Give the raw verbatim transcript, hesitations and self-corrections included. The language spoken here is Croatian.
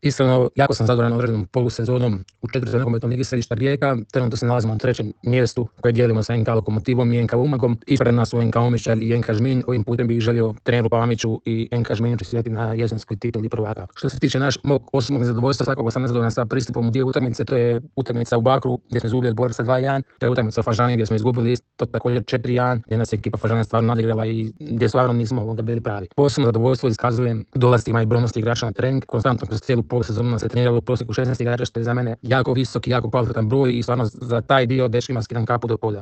Iskreno, jako sam zadovoljan određenom polusezonom u četvrtoj nogometnoj ligi središta Rijeka. Trenutno se nalazimo na trećem mjestu koje dijelimo sa en ka Lokomotivom i en ka Umagom. Ispred nas su en ka Omišalj i en ka Žminj. Ovim putem bih želio treneru Pamiću i en ka Žminju čestitati na jesenskoj tituli prvaka. Što se tiče naš mog osobnog zadovoljstva, svakako sam nezadovoljan sa pristupom u dio utakmice. To je utakmica u Bakru gdje smo izgubili od Borca dva jedan. To je utakmica u Fažani gdje smo izgubili isto također četiri jedan, gdje nas je ekipa Fažana stvarno nadigrala i gdje stvarno nismo onda bili pravi. Posebno zadovoljstvo iskazujem dolascima i brojnosti igrača na trening. Konstantno kroz cijelu polusezonu se treniralo u prosjeku šesnaest igrača, što je za mene jako visok i jako kvalitetan broj i stvarno za taj dio dečkima skidam kapu do polja.